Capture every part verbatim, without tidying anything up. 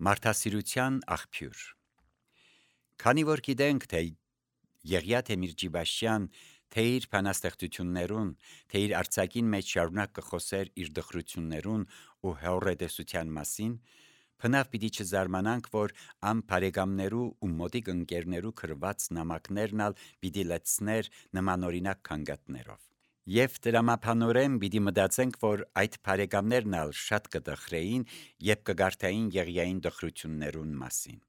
Մարդասիրության աղբյուր։ Քանի որ գիտենք, թե Եղիա Թեմիրճիբաշյան թե իր բանաստեղծություններուն, թե իր արձակին մեջ շարունակ կխոսեր իր դխրություններուն ու հեռուստատեսության մասին, բնավ պիտի չզարմանանք, որ ամ բարեկամներու ու մոտիկ ընկերներու քրված նամակներն ալ պիտի լեցներ նմանօրինակ քանգատներով։ Եվ դրամապանորեն պիտի մտածենք, որ այդ բարեկամներն ալ շատ կդխրեին եւ կգարթային Եղիային դխրություններուն մասին։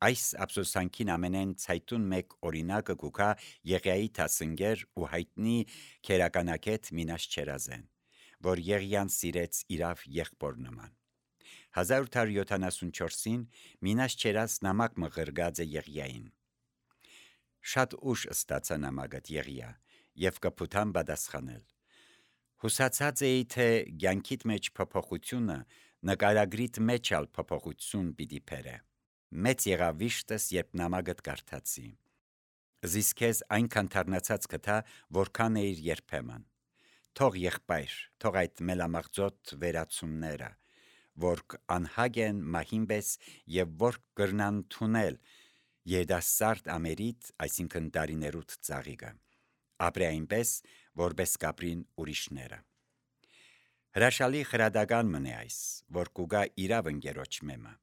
Այս ափսոսանքին ամենեն ցայտուն մեկ օրինակը կուքա Եղիայի դասընկեր ու հայտնի քերականակետ Մինաշ Չերազեն, որ Եղիան սիրեց իրավ եղբոր նման։ հազար ութ հարյուր յոթանասունչորսին Մինաշ Չերազ նամակ մղրգած է Եղիային։ Շատ ուշ ստացա նամակդ Եղիա եւ կփութան պատասխանել։ Հուսացած էի, թե կյանքիդ մեջ փոփոխությունը նկարագրիդ մեջ ալ փոփոխություն պիտի բերե։ Մեծ եղավ վիշտս, երբ նամակդ կարդացի։ Զիս քեզ այնքան թարնացած կտա, որքան էիր երբեմն։ Թող եղբայր, թող այդ մելամաղձոտ վերացումները, որ անհագ են մահինպես եւ որ կրնան թունել երիտասարդ ամերիդ, այսինքն տարիներուդ ծաղիկը, ապրե այնպես, որպես կապրին ուրիշները։ Հրաշալի խրադական մնե այս, որ կուգա իրավ ընկերոջ մեմը,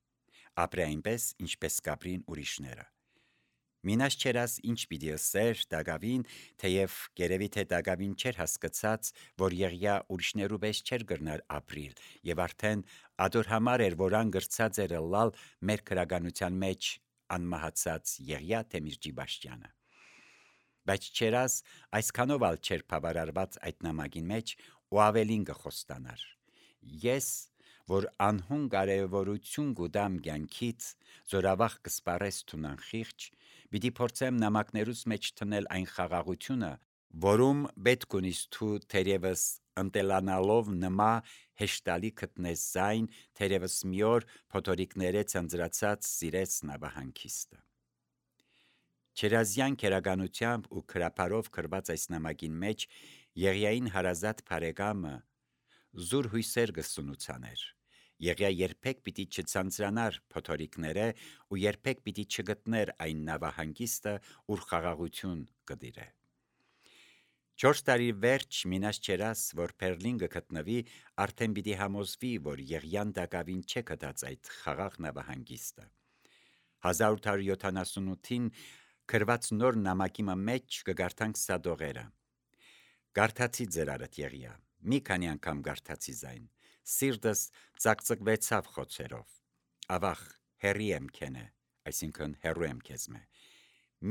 ապրե այնպես, ինչպես կապրին ուրիշները։ Մինաշ Չերազ ինչ պիտի ըսեր Դագավին, թեև գերևի թե Դագավին չէր հասկացած, որ Եղիա ուրիշներու պես չէր գրնար ապրիլ, եւ արդեն ադոր համար էր, որ ան գրծած էր լալ մեր քրագանության մեջ անմահացած Եղիա Թեմիրճիբաշյանը։ Բայց Չերազ այսքանով ալ չէր բավարարված այդ նամակին մեջ ու ավելին կխոստանար։ Ես, որ անհուն կարևորություն կուտամ կյանքից, զորավախ կսպարես թունան խիղճ, պիտի փորձեմ նամակներուց մեջ թնել այն խաղաղությունը, որում պետք ունիս թու թերևս ընտելանալով նմա հեշտալի գտնես զայն, թերևս մի օր փոթորիկները ցնծրացած սիրես նավահանգիստը։ Չերազյան քերականությամբ ու քրապարով գրված այս նամակին մեջ Եղիային հարազատ բարեկամը զուր հույսեր կսունուցաներ։ Եղիա երբեք պիտի չցանցրանար փոթորիկները ու երբեք պիտի չգտներ այն նավահանգիստը, ուր խաղաղություն կդիրե։ Չորս տարի վերջ Մինաշ Չերազ, որ Բերլին կգտնվի, արդեն պիտի համոզվի, որ Եղիան Դագավին չէ գտած այդ խաղաղ նավահանգիստը։ հազար ութ հարյուր յոթանասունութին գրված նոր նամակի մեջ կգարթանք սադողերը։ Գարթացի ձերարդ Եղիա, մի քանի անգամ գարթացի զայն, սիրտս ծակծկվեցավ խոցերով։ Ավախ, հերի եմ քենե, այսինքն հերու եմ քեզմե։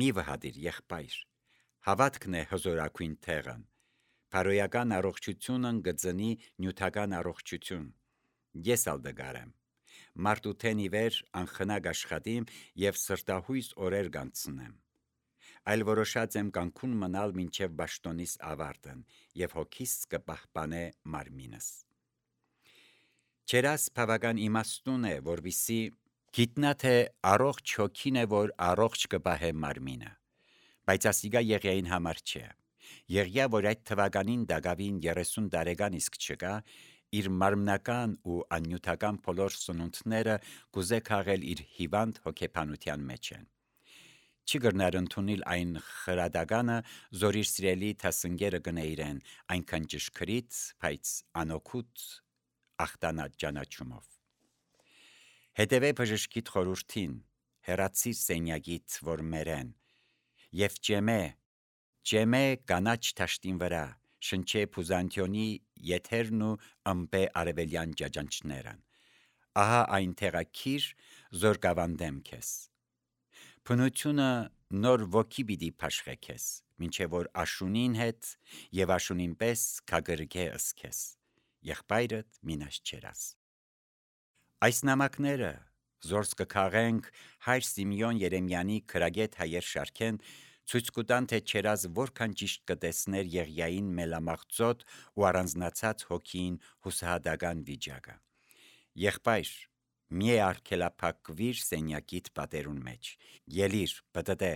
Մի վհադիր եղբայր, հավատքն է հզորակույն թեղն, բարոյական առողջությունն գծնի նյութական առողջություն։ Ես ալ դգարեմ, մարդութեն ի վեր անխնակ աշխատիմ եւ սրտահույս օրեր կանցնեմ, այլ որոշած եմ կանգուն մնալ մինչև բաշտոնիս ավարտն եւ հոգիս կպահպանե մարմինս։ Չերազ բավական իմաստուն է, որովհետեւ գիտնա թե առողջ հոգին է, որ առողջ կպահե մարմինը, բայց ասիգա Եղիային համար չէ։ Եղիա, որ այդ թվականին Դագավին երեսուն տարեկան իսկ չկա, իր մարմնական ու աննյութական բոլոր սնունդները կուզե քաղել իր հիվանդ հոգեբանության մեջ են։ Չի գրնար ընդունել այն խրադականը, զոր իր սիրելի դասընկերը գնե իրեն, այնքան ճշգրիտ, բայց անօգուտ ախտանած ճանաչումով։ Հետևե բժշկիտ խորհրդին, հեռացիր սենյակիդ, որ մերեն, եւ ջեմե, ջեմե կանաչ թաշտին վրա, շնչե Փուզանթյոնի եթերն ու ըմբե արևելյան ջաջանչներն։ Ահա այն թեղակիր, զոր կավանդեմ քեզ։ Փնությունը նոր ոգի պիտի փաշխե քեզ, մինչև որ աշունին հետ եւ աշունին պես կագրգե ըսքես։ Եղբայրդ Մինաշ Չերազ։ Այս նամակները զորս կքաղենք հայր Սիմեոն Երեմյանի քրագետ հայեր շարքեն, ցույց կտան, թե Չերազ որքան ճիշտ կտեսներ Եղիային մելամաղձոտ ու առանձնացած հոգին հուսահատական վիճակը։ Եղբայր, մի արգելափակվիր սենյակիդ պատերուն մեջ, ելիր, պտտե,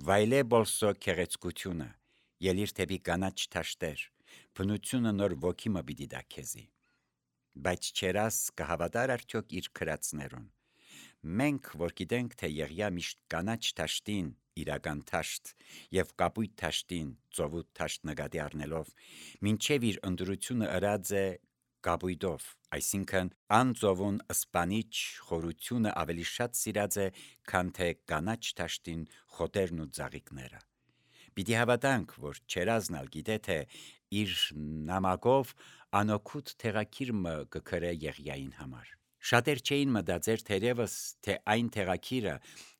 վայլե բոլսո քեղեցկությունը, ելիր թեպի կանաչ թաշտեր, բնությունը նոր ոգի մը պիտի դա քեզի։ Բայց Չերազ կհավատար արդյոք իր քրածներուն։ Մենք, որ գիտենք, թե Եղիա միշտ կանաչ թաշտին, իրական թաշտ, եւ կապույտ թաշտին, ծովուտ թաշտ նկատի առնելով, մինչև իր ընդրությունը ըրած է կապույտով, այսինքն անծովուն սպանիչ խորությունը ավելի շատ սիրած է, քան թե կանաչ թաշտին խոտերն ու ծաղիկները։ Պիտի հավատանք, որ չերազնալ գիտե, թե իր նամակով անօգուտ թեղակիր մը կգրե Եղիային համար։ Շատեր չէին մտածեր թերևս, թե այն թեղակիրը,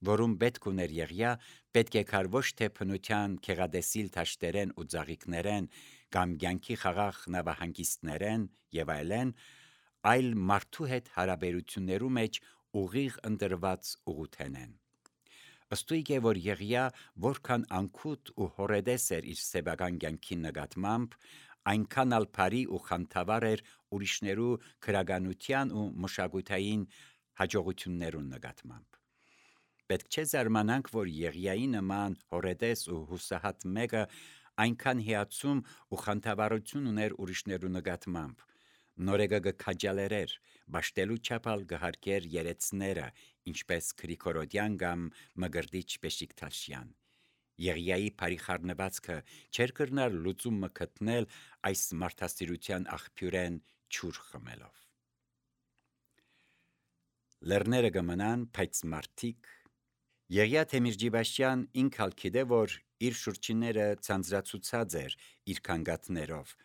որում պետք ուներ Եղիա, պետք է կար ոչ թե բնության քեղադեսիլ թաշտերեն ու ծաղիկներեն կամ կյանքի խաղաղ նավահանգիստներեն եւ այլն, այլ մարդու հետ հարաբերություններու մեջ ուղիղ ընտրված ուղութենեն։ Ըստույգ է, որ Եղիա որքան անքուտ ու հորեդես էր իր սեբական կյանքի նկատմամբ, այնքան ալ բարի ու խանդավառ էր ուրիշներու քրագանության ու մշակութային հաջողություններուն նկատմամբ։ Պետք չէ զարմանանք, որ Եղիայի նման հորեդես ու հուսահատ մեկը այնքան հիացում ու խանդավառություն ուներ ուրիշներու նկատմամբ, նորեգը գքաջալերեր, բաշտելու չափալ գհարկեր երեցները, ինչպես Գրիգորոդյան կամ Մգրդիչ Բեշիկտաշյան։ Եղիայի բարի խառնվածքը չէր կրնար լուծումը գտնել այս մարդասիրության աղբյուրեն ջուր խմելով։ Լեռները կմնան, բայց մարդիկ։ Եղիա Թեմիրջիբաշյան ինքալ գիտե, որ իր շուրջինները ցանցրացուցած էր իր քանգատներով,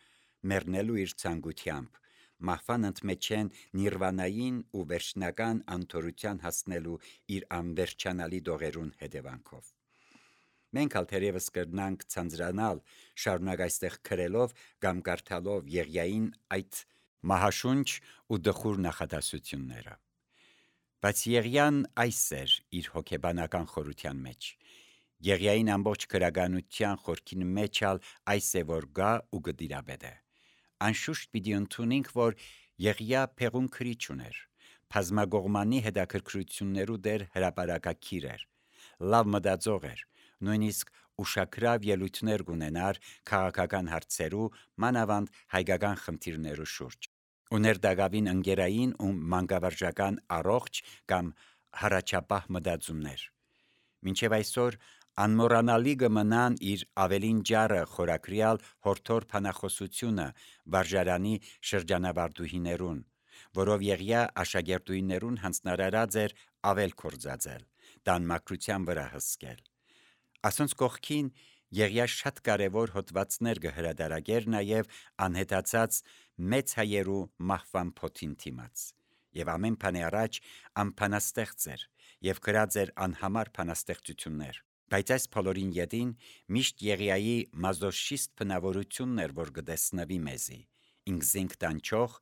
մեռնելու իր ցանկությամբ, մահվան ընդմեջեն նիրվանային ու վերջնական անթորության հասնելու իր անվերջանալի դողերուն հետևանքով։ Մենք ալ թերևս կրնանք ցանցրանալ, շարունակ այստեղ քրելով կամ կարդալով Եղիային այդ մահաշունչ ու դխուր նախադասությունները։ Բայց Եղիան այս էր իր հոգեբանական խորության մեջ։ Եղիային ամբողջ քրագանության խորքին մեջ ալ այս է, որ գա ու գդիրաբեդ է։ Անշուշտ պիտի ընդունենք, որ Եղիա փեղուն քրիչ ուներ, բազմագողմանի հետաքրքրություններու դեր հրապարակակիր էր, լավ մտածող էր, նույնիսկ ուշագրավ ելույթներ կունենար քաղաքական հարցերու, մանավանդ հայկական խնդիրներու շուրջ։ Ուներ դակավին ընկերային ու մանկավարժական առողջ կամ հառաջապահ մտածումներ։ Մինչև այսօր անմոռանալի կմնան իր ավելին ջարը խորակրյալ հորթոր փանախոսությունը վարժարանի շրջանավարտուհիներուն, որով Եղիա աշակերտուհիներուն հանձնարարած էր ավել կործածել, տան մաքրության վրա հսկել։ Ասոնց կողքին Եղիա շատ կարևոր հոդվածներ կհրադարագեր նաև անհետացած մեծ հայերու մահվան փոթին դիմաց, եւ ամեն բանի առաջ անփանաստեղծ էր եւ գրած էր անհամար փանաստեղծություններ, բայց այս բոլորին յետին միշտ Եղիայի մազոշիստ բնավորությունն էր, որ կտեսնվի մեզի, ինքզինք տանչող,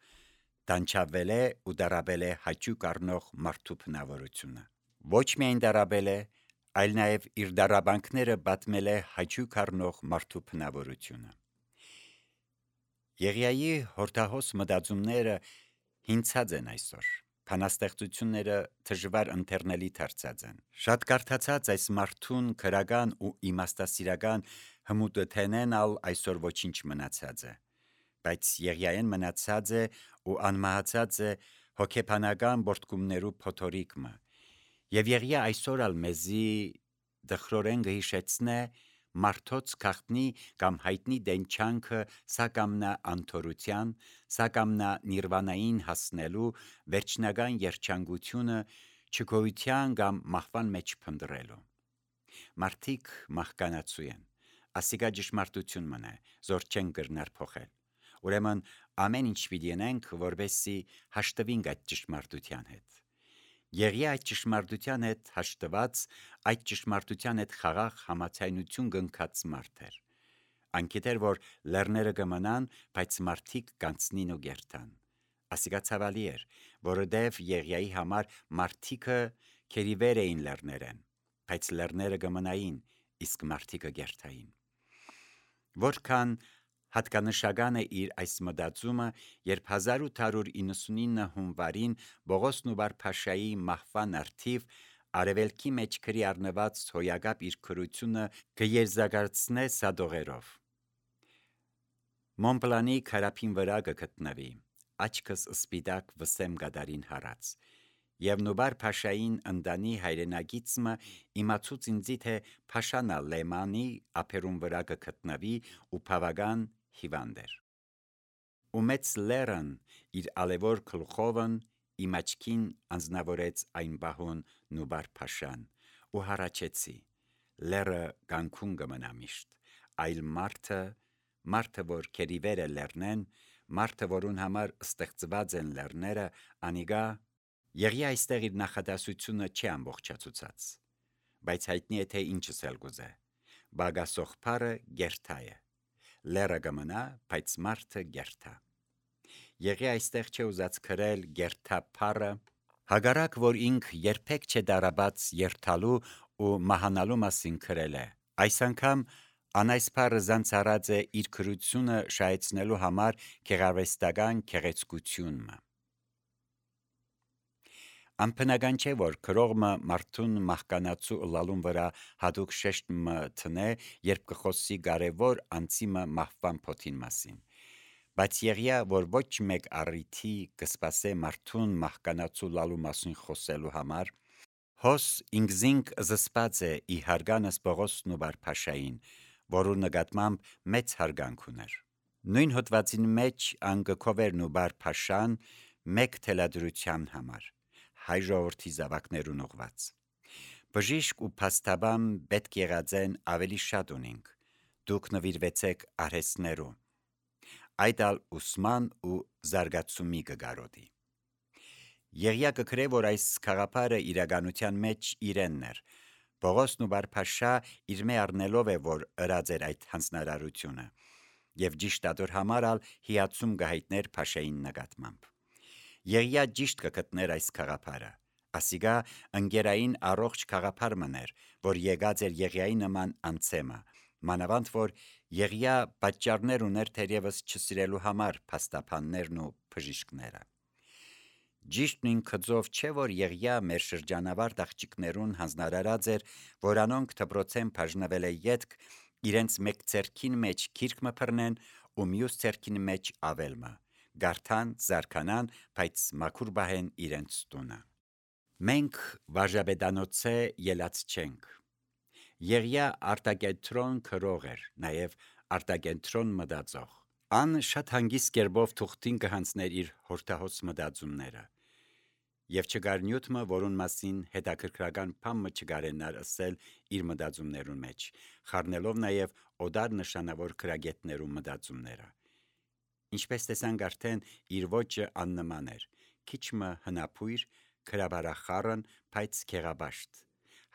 տանչավելե ու դարաբելե հաճույք առնող մարդու բնավորությունը։ Ոչ միայն դարաբելե, այլ նաև իր դարաբանքները պատմել է հաճույք առնող մարդու բնավորությունը։ Եղիայի հորթահոս մտածումները հինցած են այսօր, բանաստեղծությունները դժվար ընթեռնելի դարձած են։ Շատ կարդացած այս մարդուն քրական ու իմաստասիրական հմուտութենեն ալ այսօր ոչինչ մնացած է, բայց Եղիային մնացած է ու անմահացած է հոգեբանական բորտկումներու փոթորիկը, եւ Եղիա այսօր ալ մեզի դխրորեն կհիշեցնե մարդոց գաղտնի կամ հայտնի դենչանքը սակամնա անթորության, սակամնա նիրվանային հասնելու վերջնական երջանկությունը չգոյության կամ մահվան մեջ փնտրելու։ Մարդիկ մահկանացու են, ասիկա ճշմարտություն մնե, զոր չեն կրնար փոխել։ Ուրեմն ամեն ինչ պիտի անենք, որպեսզի հաշտվենք այդ ճշմարտության հետ։ Եղիա այդ ճշմարտության հետ հաշտված, այդ ճշմարտության հետ խաղաղ համացայնություն կնքած մարդ էր։ Անկիտեր, որ լեռները կմնան, բայց մարդիկ կանցնին ու գերտան։ Ասիկա ցավալի էր, որովհետև Եղիայի համար մարդիկը քերիվեր էին լեռներեն, բայց լեռները կմնային, իսկ մարդիկը գերտային։ Որքան հատկանշական է իր այս մտածումը, երբ հազար ութ հարյուր իննսունինը հունվարին Բողոս Նուբար-փաշայի մահվան առթիվ արևելքի մեջ քրի առնված հոյակապ իր քրությունը կեզրակացնե սադողերով։ Մոնպլանի քարափին վրա կգտնվի, աչքս սպիտակ վսեմ գադարին հարած, Եվ նուբար փաշային ընդանի հայրենագիծը իմացուց ինձի թե փաշանա լեմանի ափերուն վրա կգտնվի ու բավական հիվանդ էր։ Ու մեծ լերն իր ալևոր գլխովն իմ աչքին անձնավորեց այն բահուն նուբար փաշան ու հառաչեցի լերը գանքուն կմնա միշտ, այլ մարդը, մարդը որ կերիվեր է լեռնեն, մարդը որուն համար ստեղծված են լեռները, անիգա եղի այստեղ իր նախադասությունը չի ամբողջացուցած, բայց հայտնի է թե ինչս էլ գուզե, բագասող պարը գերթա է, լերը կմնա, բայց մարդը գերթա։ Եղի այստեղ չէ ուզած քրել գերթա պարը, հագարակ որ ինք երբեք չէ դարաբաց երթալու ու մահանալու մասին քրել է, այս անգամ անայս պարը զանցարած է իր քրությունը շայեցնելու համար գեղարվեստական գեղեցկությունը։ Անփնական չէ, որ քրողը մարդուն մահկանացու ըլլալուն վրա հատուկ շեշտ մը տնե, երբ կխոսի կարևոր անցիմը մահվան փոթին մասին։ Բայց եղյա, որ ոչ մեկ առիթի կսպասե մարդուն մահկանացու լալու մասին խոսելու համար, հոս ինքզինք զսպած է ի հարգանս Պողոս նուբար փաշային, որու նկատմամբ մեծ հարգանք ուներ։ Նույն հոդվածին մեջ անգքովեր նուբար փաշան մեկ թելադրության համար, հայ ժողովրդի զավակներուն ուղված։ Բժիշկ ու փաստաբան պետք եղածեն ավելի շատ ունենք, դուք նվիրվեցեք արհեստներու, այդ ալ ուսման ու զարգացումի կգարոդի։ Եղյա կգրե, որ այս խաղապարը իրականության մեջ իրենն էր, Պողոս նուբար փաշա իր մե առնելով է, որ ըրած էր այդ հանձնարարությունը, և ճիշտ ադոր համար ալ հիացում գահիտներ փաշային նկատմամբ։ Եղյա ճիշտ կգտներ այս խաղապարը, ասիգա ընկերային առողջ խաղապար մներ, որ եկած էր Եղյայի նման անցեմը, մանավանդ որ Եղյա պատճառներ ուներ թերևս չսիրելու համար փաստաբաններն ու բժիշկները։ Ճիշտ նույն քծով չէ, որ Եղյա մեր շրջանավարտ աղջիկներուն հանձնարարած էր, որ անոնք դպրոցեն բաժնվել է ետք, իրենց մեկ ձեռքին մեջ գիրք մը բռնեն ու մյուս ձեռքին մեջ ավելմը, գարթան, զարկանան, բայց մաքուր բահեն իրենց տունը։ Մենք վարժապետանոցե ելած չենք։ Եղյա արտակենտրոն քրող էր, նաև արտակենտրոն մտածող։ Ան շատ հանգիստ կերպով թուղթին կհանձներ իր հորթահոս մտածումները, և չկար նյութը, որուն մասին հետաքրքրական բան չկարենար ասել իր մտածումներուն մեջ, խառնելով նաև օտար նշանավոր գրագետներու մտածումները։ Ինչպես տեսանք արդեն, իր ոճը աննման էր, քիչ մը հնափույր, գրաբարախառն, բայց գեղաբաշտ,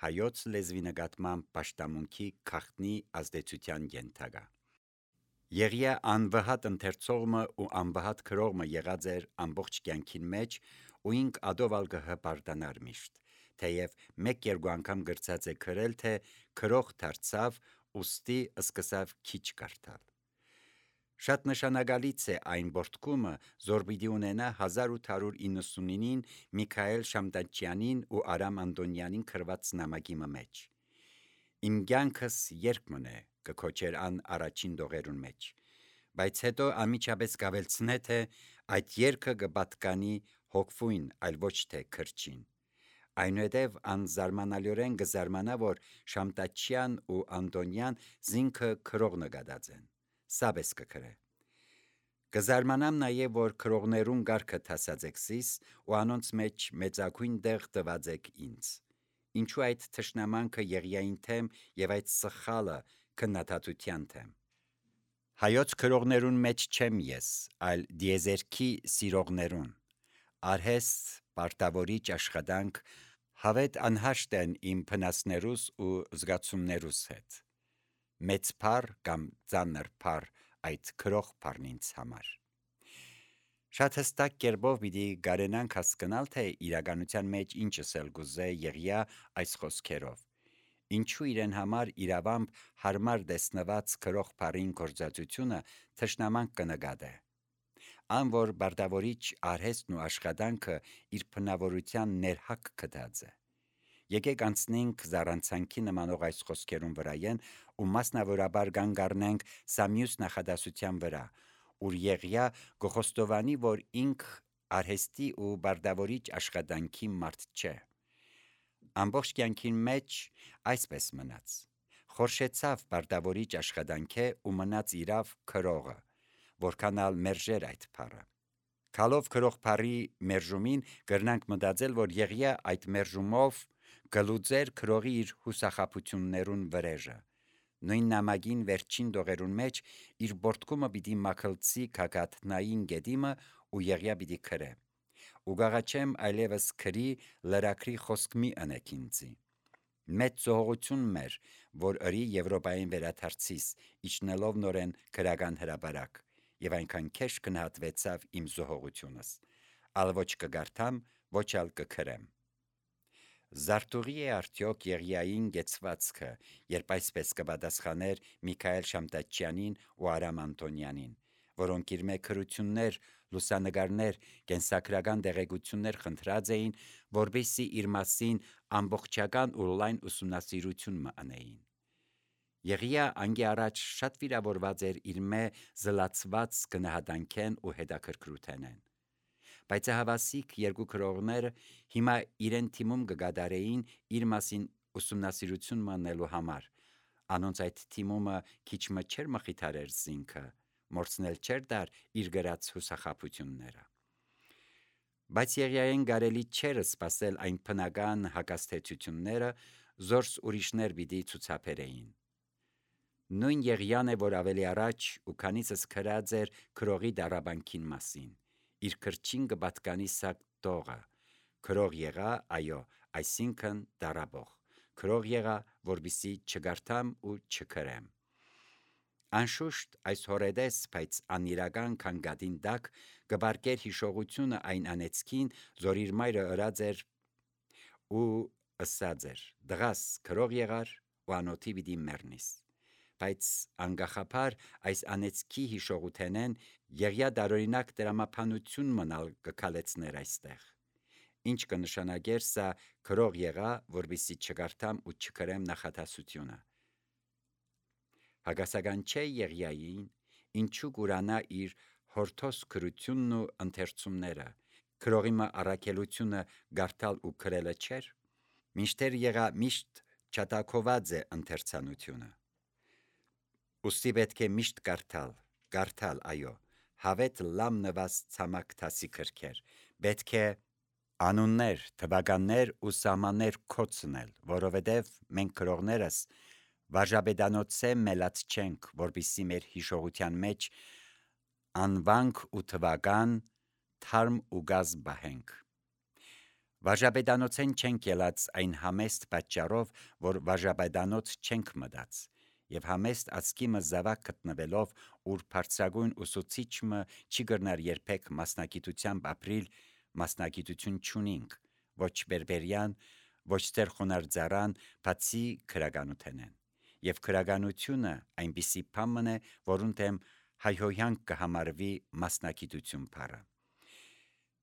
հայոց լեզվի նկատմամբ պաշտամունքի գաղտնի ազդեցության ենթակա։ Եղյա անվհատ ընթերցողը ու անվհատ քրողը եղած էր ամբողջ կյանքին մեջ ու ինք ադով ալ կհպարտանար միշտ, թեև մեկ-երկու անգամ գրծած է քրել, թե քրող դարձավ, ուստի սկսավ քիչ կարդալ։ Շատ նշանակալից է այն բորտկումը, որ պիտի ունենա հազար ութ հարյուր իննսունինին Միքայել Շամտաչյանին ու Արամ Անդոնյանին գրված նամակի մեջ։ Իմ կյանքս երկ մնե, կքոչեր ան առաջին դողերուն մեջ, բայց հետո անմիջապես կավելցնե, թե այդ երգը կպատկանի հոգվույն, այլ ոչ թե քրչին։ Այնուհետև ան զարմանալիորեն կզարմանա, որ Շամտաչյան ու Անդոնյան զինքը քրող նկատած են, սաբես կգրե։ Կզարմանամ նաև, որ քրողներուն կարգը դասածեքսիս ու անոնց մեջ մեծագույն տեղ տված եք ինձ։ Ինչու այդ թշնամանքը Եղյային թեմ և այդ սխալը քննադատության թեմ։ Հայոց քրողներուն մեջ չեմ ես, այլ դիեզերքի սիրողներուն։ Արհեստ, պարտավորիչ աշխատանք հավետ անհաշտ են իմ փնասներուս ու զգացումներուս հետ։ Մեծ փառ կամ ծանր փառ այդ քրող փառն ինձ համար։ Շատ հստակ կերպով պիտի կարենանք հասկանալ, թե իրականության մեջ ինչս էլ գուզե Եղյա այս խոսքերով։ Ինչու իրեն համար իրավամբ հարմար տեսնված քրող փառին գործածությունը թշնամանք կնկատե։ Ան որ պարտավորիչ արհեստն ու աշխատանքը իր բնավորության ներհակ գտած է։ Եկեք անցնենք զառանցանքի նմանող այս խոսքերուն վրայեն ու մասնավորաբար կանգ առնենք սա մյուս նախադասության վրա, ուր Եղյա գոխոստովանի, որ ինք արհեստի ու բարդավորիչ աշխատանքի մարդ չէ։ Ամբողջ կյանքին մեջ այսպես մնաց. խորշեցավ բարդավորիչ աշխատանքը ու մնաց իրավ քրողը, որքան ալ մերժեր այդ փառը։ Քալով քրող փառի մերժումին կրնանք մտածել, որ Եղիա այդ մերժումով գլուծեր քրողի իր հուսախաբություններուն վրեժը։ Նույն նամակին վերջին դողերուն մեջ իր բորտկումը պիտի մաքլցի քակաթնային գետիմը ու Եղիա պիտի քրե։ Ու գաղաչեմ այլևս քրի լրակրի խոսք մի ընեք ինձի։ Մեծ զողողություն մեր, որ ըրի Եվրոպային վերադարձիս, իջնելով նորեն քրական հրաբարակ, եւ այնքան քեշ կնահատվեցավ իմ զողողությունս, ալ ոչ կգարտամ, ոչ ալ կքրեմ։ Զարտուղի է արդյոք Եղիային գեցվածքը, երբ այսպես կպատասխաներ Միքայել Շամտաչյանին ու Արամ Անտոնյանին, որոնք իր մեքրություններ, լուսանգարներ, կենսագրական դեղեցություններ խնդրած էին, որպեսզի իր մասին ամբողջական ու լայն ուսումնասիրություն մընեին։ Եղիա անգի առաջ շատ վիրավորված էր իր մե զլացված կնահատանքեն ու հետաքրքրութենեն։ Բայց հավասիկ երկու քրողները հիմա իրեն թիմում կգադարեին իր մասին ուսումնասիրություն մանելու համար։ Անոնց այդ թիմումը քիչ մը չէր մխիթարեր զինքը, մորցնել չէր դար իր գրած հուսախաբությունները։ Բայց Եղիային կարելի չէր սպասել այն բնական հակասթեցությունները, զորս ուրիշներ պիտի ցուցաբերեին։ Նույն Եղիան է, որ ավելի առաջ ու քանիցս քրած էր քրողի դարաբանքին մասին, իր քրչին կպատկանի սակ տողը, քրող եղա, այո, այսինքն դարաբող, քրող եղա, որպեսզի չգարտամ ու չքրեմ։ Անշուշտ այս հորեդես, բայց անիրական քանգադին դակ կբարկեր հիշողությունը այն անեցքին, զոր իր մայրը ըրած էր ու ըսած էր. «Դղաս քրող եղար ու անոթի պիտի մեռնիս»։ Բայց անգախափար այս անեցքի հիշողութենեն Եղիա դարօրինակ դրամապանություն մնալ կքալեցներ այստեղ։ Ինչ կնշանակեր սա քրող եղա, որպեսզի չգարտամ ու չքրեմ նախադասությունը։ Հագասական չէ Եղիային, ինչու կուրանա իր հորթոս քրությունն ու ընթերցումները, քրողի մը առաքելությունը գարտալ ու քրելը չէր։ Մինչդեռ եղա միշտ չատակոված է ընթերցանությունը։ Ուստի պետք է միշտ գարտալ, գարտալ, այո, հավետ լամ նվազ ցամաք թասի քրքեր, պետք է անուններ, թվականներ ու սահմաններ կոծնել, որովհետև մենք քրողներս վարժապետանոցե մելած չենք, որպեսզի մեր հիշողության մեջ անվանք ու թվական, թարմ ու գազ բահենք։ Վարժապետանոցեն չենք ելած այն համեստ պատճառով, որ վարժապետանոց չենք մտած, եւ համեստ ասկի մը զավակ գտնվելով, ուր բարձրագույն ուսուցիչը չի գրնար երբեք մասնագիտությամբ ապրիլ, մասնագիտություն չունինք, ոչ բերբերյան, ոչ տերխոնարձարան, բացի քրականութենեն։ Եվ քրականությունը այնպիսի բան է, որուն դեմ հայհոյանք կհամարվի մասնագիտություն բառը։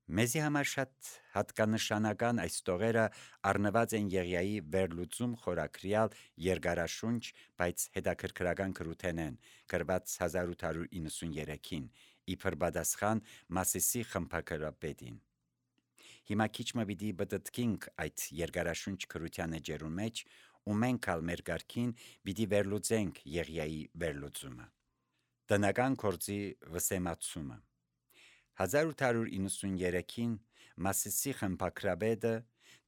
Մեզի համար շատ հատկանշանական այս տողերը առնված են Եղիայի վերլուծում խորակրյալ երկարաշունչ, բայց հետաքրքրական գրութենեն, գրված հազար ութ հարյուր իննսուներեքին, իբր պատասխան Մասիսի խմբագրապետին։ Հիմա քիչ մը պիտի բտտկինք այդ երկարաշունչ գրության էջերուն մեջ, ու մենք ալ մեր կարգին պիտի վերլուծենք Եղիայի վերլուծումը։ Տնական գործի վսեմացումը։ հազար ութ հարյուր իննսուներեքին Մասիսի խմբագրապետը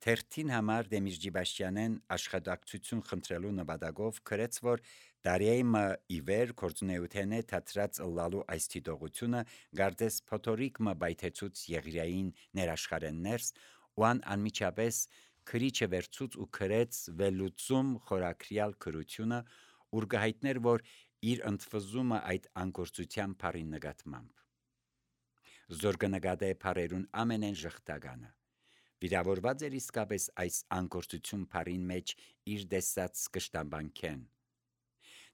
թերթին համար Դեմիրճիբաշյանեն աշխատակցություն խնդրելու նպատակով գրեց, որ տարիայի մը ի վեր գործունեութենե թատրած ըլլալու այս թիթողությունը գարդես փոթորիկ մը բայթեցուց Եղիային ներաշխարեն ներս ու ան անմիջապես քրիչը վերցուց ու գրեց վերլուծում խորակրյալ գրությունը, ուր գահիթներ, որ իր ընդվզումը այդ անգործության բառին նկատմամբ։ Զոր կնկատե բառերուն ամենեն ժխտականը։ Վիրավորված էր իսկապես այս անգործություն բառին մեջ իր դեսած կշտամբանքեն։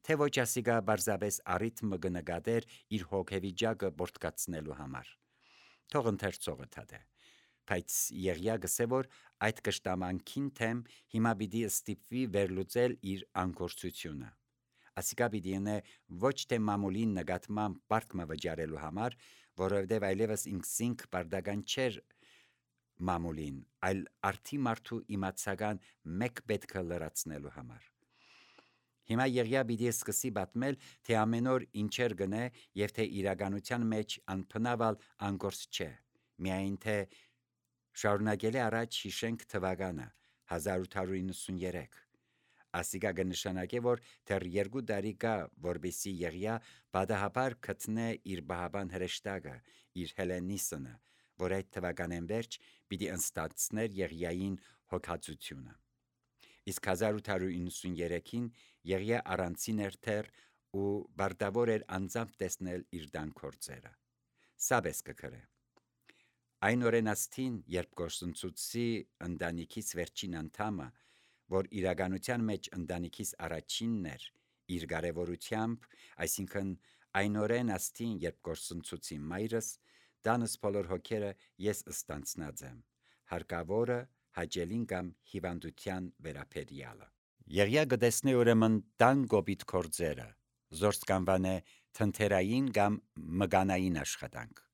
Թե ոչ ասիկա բարձաբես առիթմը կնկատեր իր հոգեվիճակը բորտկացնելու համար։ Թող ընթերցողը թադե։ Բայց Եղիա գսե, որ այդ կշտամբանքին թեմ հիմա պիտի ստիպվի վերլուծել իր անգործությունը։ Ասիկա պիտի ընե ոչ թե մամուլին նկատմամբ պարտքը վճարելու համար, որովհետև այլևս ինքսինք բարդական չէր մամուլին, այլ արդի մարդու իմացական մեկ պետքը լրացնելու համար։ Հիմա Եղիա պիտի սկսի պատմել, թե ամեն օր ինչեր գնե եւ թե իրականության մեջ անփնավալ անգործ չէ, միայն թե շարունակել է առաջ հիշենք թվականը հազար ութ հարյուր իննսուններեք։ Ասիկա կնշանակե, որ դեռ երկու տարի կա, որպեսզի Եղիա պատահաբար գտնե իր բահաբան հրեշտակը, իր Հելենիսը, որ այդ թվականեն վերջ պիտի ընստացներ Եղիային հոգացությունը։ Իսկ հազար ութ հարյուր իննսուններեքին Եղիա առանցին էր թեր ու բարտավոր էր անձամբ տեսնել իր տան գործերը։ Սաբես կգրե։ Այն օրեն աստին, երբ գործընծուցի ընտանիքից վերջին անդամը, որ իրականության մեջ ընտանիքից առաջինն էր, իր կարևորությամբ, այսինքն այն օրեն աստին, երբ գործընծուցի մայրս, տանս բոլոր հոգերը ես ստանցնած եմ, հարկավորը, հաճելին կամ հիվանդության վերաբերյալը։ Եղիա կտեսնե ուրեմն տան կոպիտ գործերը, զորս կանվանե թնթերային կամ մգանային աշխատանք։